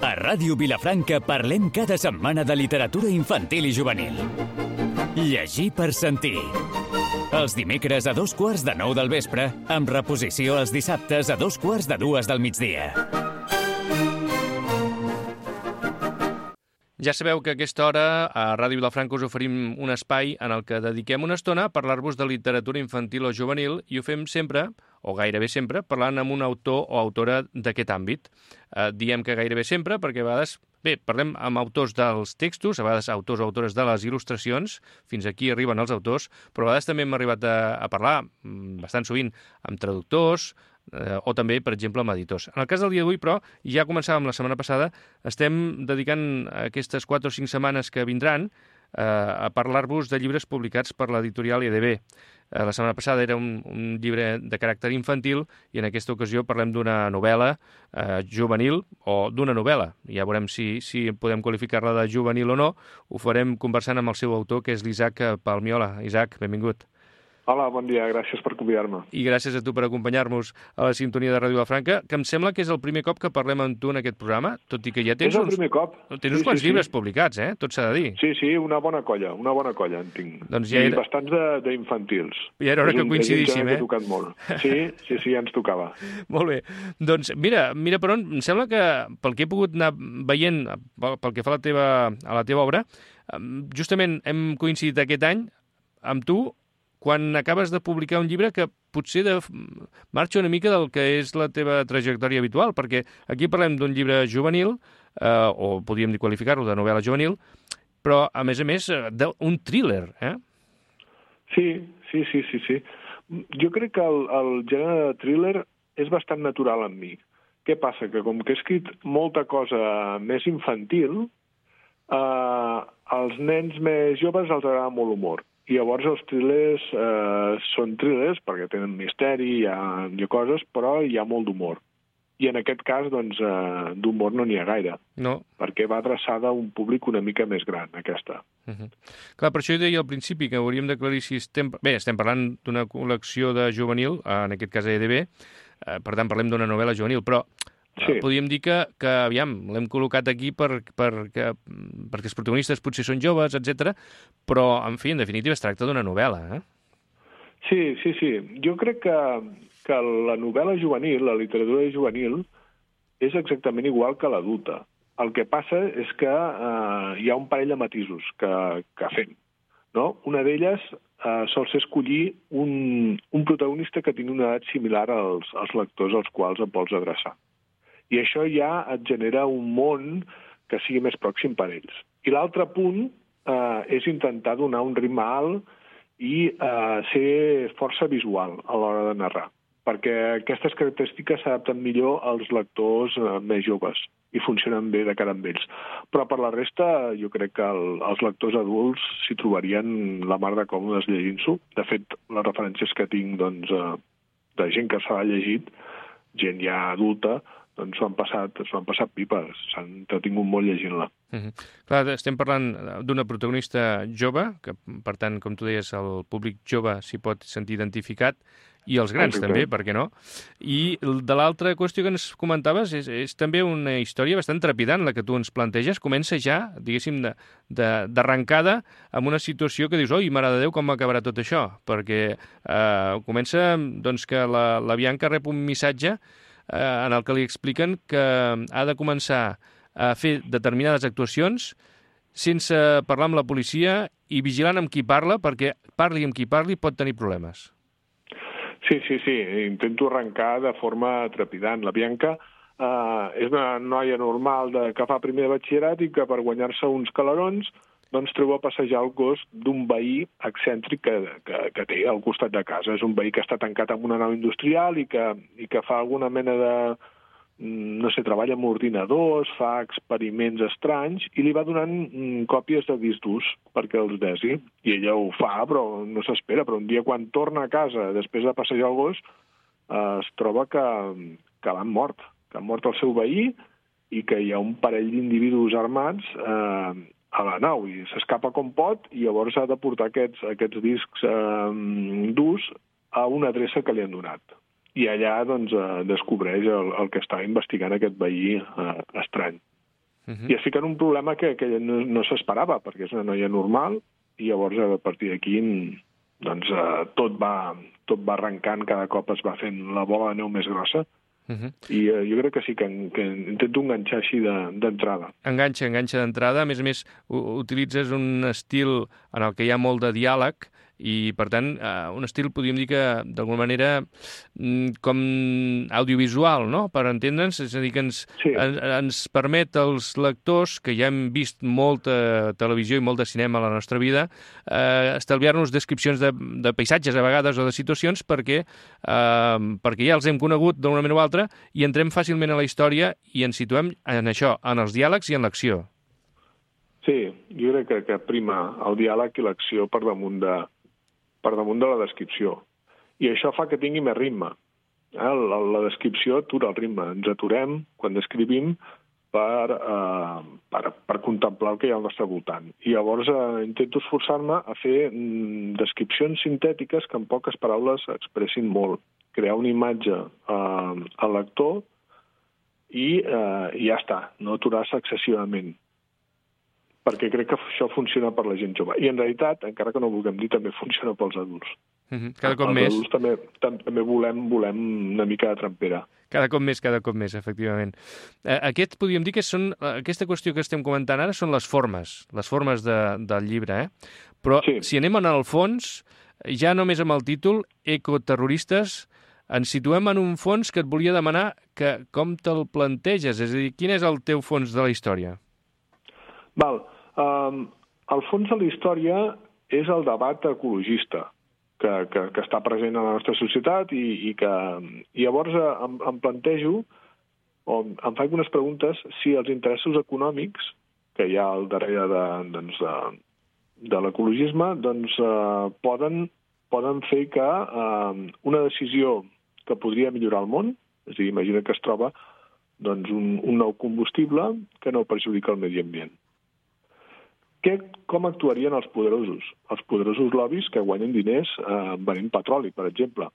A Ràdio Vilafranca parlem cada setmana de literatura infantil i juvenil. Llegir per sentir. Els dimecres a 8:45 del vespre, amb reposició els dissabtes a 2:45 del migdia. Ja sabeu que a aquesta hora a Ràdio Vilafranca us oferim un espai en el que dediquem una estona a parlar-vos de literatura infantil o juvenil i ho fem sempre, o gairebé sempre, parlant amb un autor o autora d'aquest àmbit. Diem que gairebé sempre perquè a vegades, parlem amb autors dels textos, a vegades autors o autores de les il·lustracions, fins aquí arriben els autors, però a vegades també hem arribat a parlar, bastant sovint, amb traductors, o també, per exemple, amb editors. En el cas del dia d'avui, però, ja començàvem la setmana passada, estem dedicant aquestes 4 o 5 setmanes que vindran a parlar-vos de llibres publicats per l'editorial EDB. La setmana passada era un llibre de caràcter infantil i en aquesta ocasió parlem d'una novel·la juvenil o d'una novel·la. Ja veurem si podem qualificar-la de juvenil o no. Ho farem conversant amb el seu autor, que és l'Isaac Palmiola. Isaac, benvingut. Hola, bon dia, gràcies per convidar-me. I gràcies a tu per acompanyar-nos a la sintonia de Ràdio Vilafranca, que em sembla que és el primer cop que parlem amb tu en aquest programa, tot i que ja tens el primer cop. Tens uns quants llibres publicats, tot s'ha de dir. Sí, una bona colla en tinc. Doncs I bastants d'infantils. Ja era hora que coincidíssim, És un tocat molt. Sí, ja ens tocava. Molt bé. Doncs mira per on, em sembla que pel que he pogut anar veient, pel que fa a la teva obra, justament hem coincidit aquest any amb tu quan acabes de publicar un llibre que potser marxa una mica del que és la teva trajectòria habitual, perquè aquí parlem d'un llibre juvenil, o podríem qualificar-lo de novel·la juvenil, però, a més, d'un thriller, Sí. Jo crec que el gènere de thriller és bastant natural en mi. Què passa? Que com que he escrit molta cosa més infantil, als nens més joves els agrada molt l'humor. I llavors els thrillers són thrillers perquè tenen misteri, hi ha coses, però hi ha molt d'humor. I en aquest cas, doncs, d'humor no n'hi ha gaire. No. Perquè va adreçada a un públic una mica més gran, aquesta. Clar, per això jo deia al principi que hauríem d'aclarir si estem parlant d'una col·lecció de juvenil, en aquest cas EDB, per tant parlem d'una novel·la juvenil, però podríem dir que aviam, l'hem col·locat aquí perquè els protagonistes potser són joves, etc. Però, en fi, en definitiva, es tracta d'una novel·la, Sí. Jo crec que la novel·la juvenil, la literatura juvenil, és exactament igual que l'adulta. El que passa és que hi ha un parell de matisos que fem. No? Una d'elles sol ser escollir un protagonista que tingui una edat similar als lectors als quals et vols adreçar. I això ja et genera un món que sigui més pròxim per ells. I l'altre punt és intentar donar un ritme alt i ser força visual a l'hora de narrar, perquè aquestes característiques s'adapten millor als lectors més joves i funcionen bé de cara amb ells. Però per la resta jo crec que els lectors adults s'hi trobarien la mar de còmodes llegint-s'ho. De fet, les referències que tinc de gent que s'ha llegit, gent ja adulta, doncs s'ho han passat pipes, s'han entretingut molt llegint-la. Clar, estem parlant d'una protagonista jove, que per tant, com tu deies, el públic jove s'hi pot sentir identificat, i els grans també, per què no? I de l'altra qüestió que ens comentaves és també una història bastant trepidant, la que tu ens planteges. Comença ja, diguéssim, d'arrencada amb una situació que dius, oi, mare de Déu, com acabarà tot això? Perquè comença doncs, que la Bianca rep un missatge en el que li expliquen que ha de començar a fer determinades actuacions sense parlar amb la policia i vigilant amb qui parla, perquè parli amb qui parli pot tenir problemes. Sí, intento arrencar de forma trepidant. La Bianca és una noia normal que fa primer de batxillerat i que per guanyar-se uns calarons doncs treu a passejar el gos d'un veí excèntric que té al costat de casa. És un veí que està tancat en una nau industrial i que fa alguna mena de, no sé, treballa amb ordinadors, fa experiments estranys i li va donant còpies de discs durs perquè els desi. I ella ho fa, però no s'espera. Però un dia quan torna a casa, després de passejar el gos, es troba que l'han mort. Que han mort el seu veí i que hi ha un parell d'individus armats a la nau i s'escapa com pot i llavors ha de portar aquests discs durs a una adreça que li han donat. i allà doncs, descobreix el que està investigant aquest veí estrany. I es fica en un problema que no s'esperava, perquè és una noia normal, i llavors a partir d'aquí doncs, tot va arrencant, cada cop es va fent la bola de neu més grossa, i jo crec que sí, que intento enganxar així d'entrada. Enganxa d'entrada. A més, utilitzes un estil en el que hi ha molt de diàleg, i, per tant, un estil, podríem dir que, d'alguna manera, com audiovisual, no?, per entendre'ns, és a dir, que ens permet als lectors, que ja hem vist molta televisió i molt de cinema a la nostra vida, estalviar-nos descripcions de paisatges, a vegades, o de situacions, perquè ja els hem conegut d'una manera o altra, i entrem fàcilment a la història i ens situem en això, en els diàlegs i en l'acció. Sí, jo crec que prima el diàleg i l'acció per damunt de la descripció. I això fa que tingui més ritme. La descripció atura el ritme. Ens aturem, quan descrivim, per contemplar el que hi ha al nostre voltant. I llavors intento esforçar-me a fer descripcions sintètiques que en poques paraules expressin molt. Crear una imatge al lector i ja està, no aturar-se excessivament. Perquè crec que això funciona per la gent jove. I en realitat, encara que no ho vulguem dir, també funciona pels adults. Cada cop més. Els adults també volem una mica de trampera. Cada cop més, efectivament. Aquest, podríem dir que aquesta qüestió que estem comentant ara són les formes del llibre, Però si anem en el fons, ja només amb el títol, Ecoterroristes, ens situem en un fons que et volia demanar que com te'l planteges, és a dir, quin és el teu fons de la història? El fons de la història és el debat ecologista que està present a la nostra societat i llavors em plantejo o em faig algunes preguntes si els interessos econòmics que hi ha al darrere de l'ecologisme poden fer que una decisió que podria millorar el món, és a dir, imagina que es troba un nou combustible que no perjudica el medi ambient. Com actuarien els poderosos? Els poderosos lobbies que guanyen diners venent petroli, per exemple.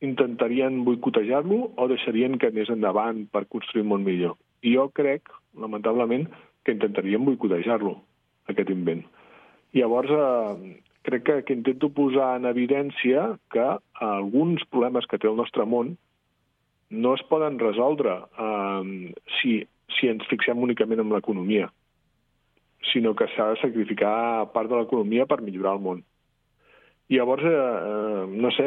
Intentarien boicotejar-lo o deixarien que anés endavant per construir un món millor? I jo crec, lamentablement, que intentarien boicotejar-lo, aquest invent. I llavors crec que intento posar en evidència que alguns problemes que té el nostre món no es poden resoldre si ens fixem únicament en l'economia, sinó que s'ha de sacrificar part de l'economia per millorar el món. I llavors, no sé,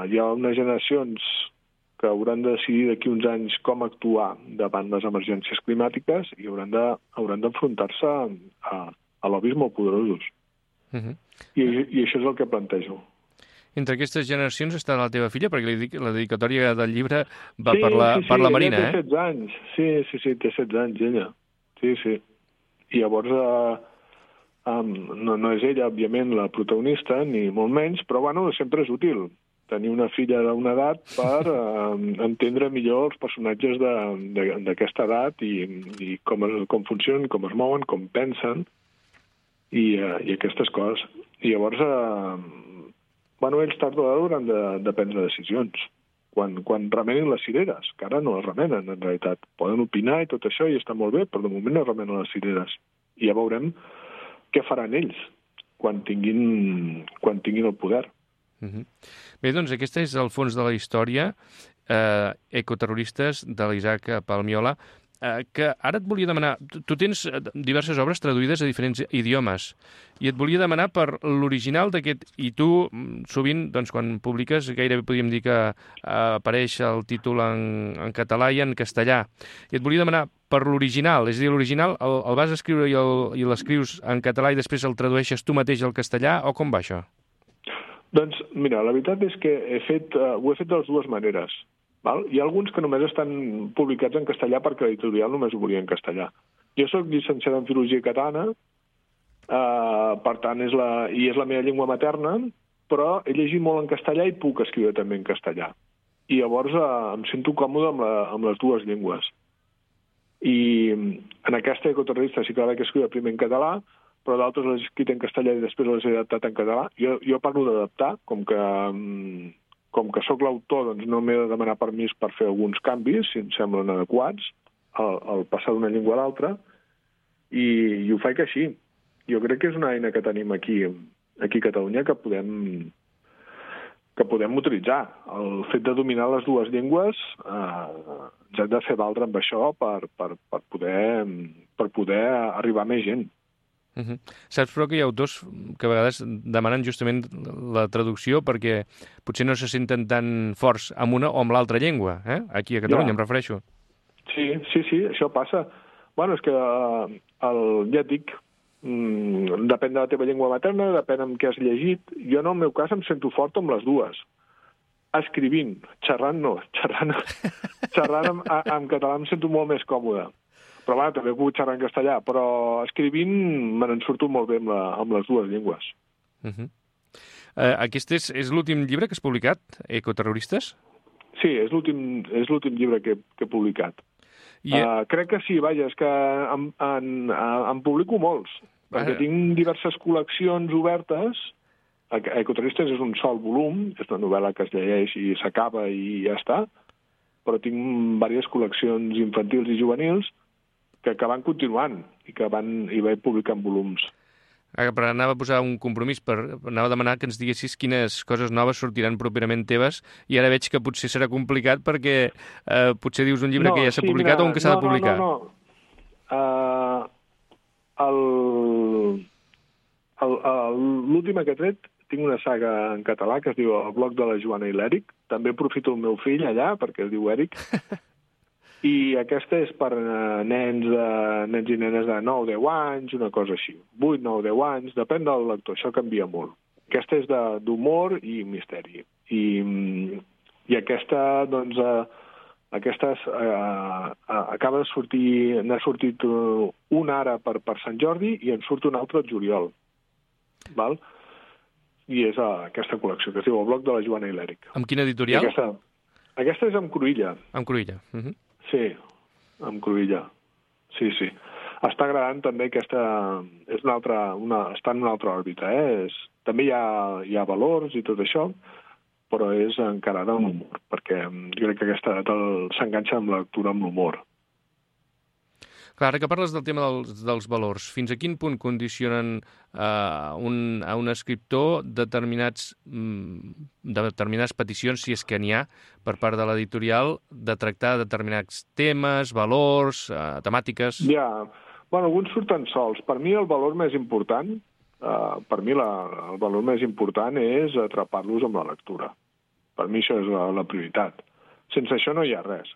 hi ha unes generacions que hauran de decidir d'aquí uns anys com actuar davant les emergències climàtiques i hauran d'enfrontar-se a lobbies molt poderosos. I això és el que plantejo. Entre aquestes generacions està la teva filla, perquè la dedicatòria del llibre va per la Marina, té 16 anys. Sí, té 16 anys, ella. Sí. I llavors no és ella, òbviament, la protagonista, ni molt menys, però sempre és útil tenir una filla d'una edat per entendre millor els personatges d'aquesta edat i com funcionen, com es mouen, com pensen i aquestes coses. I llavors, ells tard o d'hora hauran de prendre decisions. Quan remenin les cireres, que ara no les remenen, en realitat. Poden opinar i tot això, i està molt bé, però de moment no remenen les cireres. I ja veurem què faran ells quan tinguin el poder. Bé, doncs aquest és el fons de la història, Ecoterroristes, de l'Isaac Palmiola, que ara et volia demanar... Tu tens diverses obres traduïdes a diferents idiomes i et volia demanar per l'original d'aquest... I tu, sovint, doncs, quan publiques, gairebé podríem dir que apareix el títol en català i en castellà. I et volia demanar per l'original, és a dir, l'original el vas escriure i l'escrius en català i després el tradueixes tu mateix al castellà, o com va això? Doncs, mira, la veritat és que ho he fet de les dues maneres. Hi ha alguns que només estan publicats en castellà perquè l'editorial només ho volia en castellà. Jo soc llicenciat en Filologia Catalana, per tant, és la meva llengua materna, però he llegit molt en castellà i puc escriure també en castellà. I llavors em sento còmode amb les dues llengües. I en aquesta Ecoterrorista sí que la vaig escriure primer en català, però d'altres les he escrit en castellà i després les he adaptat en català. Jo parlo d'adaptar, com que com que sóc l'autor, doncs no m'he de demanar permís per fer alguns canvis, si em semblen adequats, al passar d'una llengua a l'altra, i ho faig així. Jo crec que és una eina que tenim aquí a Catalunya que podem utilitzar. El fet de dominar les dues llengües ens hem de fer valdre amb això per poder arribar a més gent. Saps, però, que hi ha autors que a vegades demanen justament la traducció perquè potser no se senten tan forts amb una o amb l'altra llengua, aquí a Catalunya, em refereixo. Sí, això passa. Bueno, és que ja et dic, depèn de la teva llengua materna, depèn amb què has llegit. Jo, en el meu cas, em sento fort amb les dues. Escrivint, xerrant no. Xerrant en català em sento molt més còmode. Però bueno, també puc xerrar en castellà, però escrivint me n'en surto molt bé amb les dues llengües. Aquest és l'últim llibre que has publicat, Ecoterroristes? Sí, és l'últim llibre que he publicat. Crec que sí, vaja, és que en publico molts, perquè tinc diverses col·leccions obertes. Ecoterroristes és un sol volum, és una novel·la que es llegeix i s'acaba i ja està, però tinc diverses col·leccions infantils i juvenils que van continuant i vaig publicant volums. Però anava a posar un compromís, anava a demanar que ens diguessis quines coses noves sortiran properament teves, i ara veig que potser serà complicat perquè potser dius un llibre que ja s'ha publicat o un que s'ha de publicar. No. L'última que he tret, tinc una saga en català que es diu El blog de la Joana i l'Eric. També aprofito el meu fill allà, perquè es diu Eric. I aquesta és per nens i nenes de 9-10 anys, una cosa així. 8-9-10 anys, depèn del lector, això canvia molt. Aquesta és d'humor i misteri. I aquesta, doncs, acaba de sortir, n'ha sortit una ara per Sant Jordi i en surt una altra al juliol. Val? I és aquesta col·lecció, que es diu El blog de la Joana i l'Eric. Amb quina editorial? Aquesta és amb Cruïlla. Amb Cruïlla. Sí, amb Cruïlla. Sí. Està agradant també aquesta... està en una altra òrbita, També hi ha valors i tot això, però és encarada amb l'humor, perquè jo crec que aquesta s'enganxa amb la lectura amb l'humor. Clar, ara que parles del tema dels valors, fins a quin punt condicionen a un escriptor determinades peticions, si és que n'hi ha, per part de l'editorial, de tractar determinats temes, valors, temàtiques? Bueno, alguns surten sols. Per mi el valor més important, és atrapar-los amb la lectura. Per mi això és la prioritat. Sense això no hi ha res.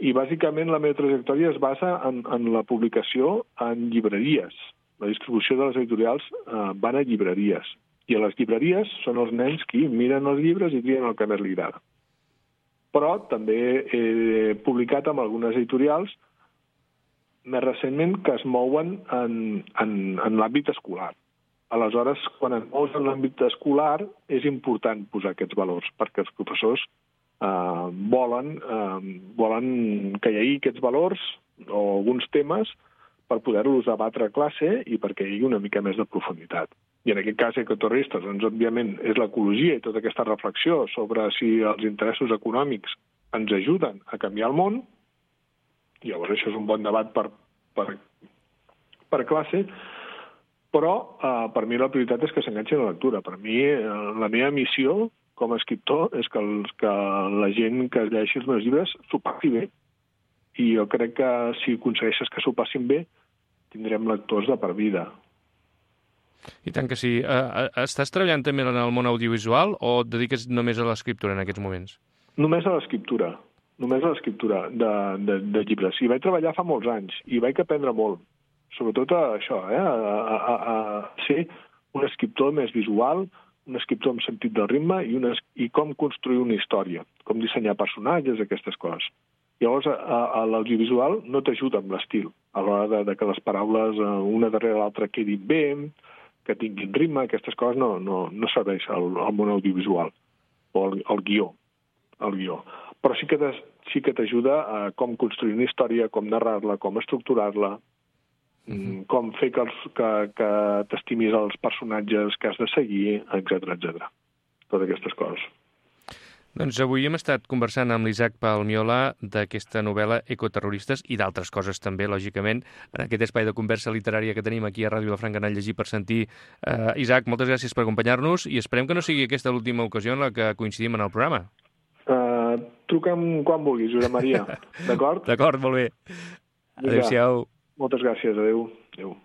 I bàsicament la meva trajectòria es basa en la publicació en llibreries. La distribució de les editorials van a llibreries. I a les llibreries són els nens qui miren els llibres i trien el que més li agrada. Però també he publicat amb algunes editorials més recentment que es mouen en l'àmbit escolar. Aleshores, quan et mous en l'àmbit escolar, és important posar aquests valors, perquè els professors volen que hi hagi aquests valors o alguns temes per poder-los debatre a classe i perquè hi hagi una mica més de profunditat. I en aquest cas, Ecoterroristes, doncs, òbviament, és l'ecologia i tota aquesta reflexió sobre si els interessos econòmics ens ajuden a canviar el món. Llavors, això és un bon debat per classe, però per mi la prioritat és que s'enganxi a la lectura. Per mi, la meva missió com a escriptor és que la gent que llegeixi els meus llibres s'ho passi bé. I jo crec que si aconsegueixes que s'ho passin bé, tindrem lectors de per vida. I tant que sí. Estàs treballant també en el món audiovisual o et dediques només a l'escriptura en aquests moments? Només a l'escriptura de llibres. I vaig treballar fa molts anys i vaig aprendre molt. Sobretot això, a ser un escriptor més visual, un escriptor amb sentit del ritme i com construir una història, com dissenyar personatges, aquestes coses. Llavors, a l'audiovisual no t'ajuda amb l'estil, a l'hora de que les paraules una darrere l'altra quedin bé, que tinguin ritme, aquestes coses no serveix al món audiovisual, o al guió. Però sí que t'ajuda a com construir una història, com narrar-la, com estructurar-la, com fer que t'estimis els personatges que has de seguir, etc. Totes aquestes coses. Doncs avui hem estat conversant amb l'Isaac Palmiola d'aquesta novel·la Ecoterroristes i d'altres coses també, lògicament, en aquest espai de conversa literària que tenim aquí a Ràdio Vilafranca en el Llegir per Sentir. Isaac, moltes gràcies per acompanyar-nos i esperem que no sigui aquesta l'última ocasió en la que coincidim en el programa. Truca'm quan vulguis, Josep Maria. D'acord? D'acord, molt bé. Adéu-siau. Moltes gràcies, adéu. Adéu.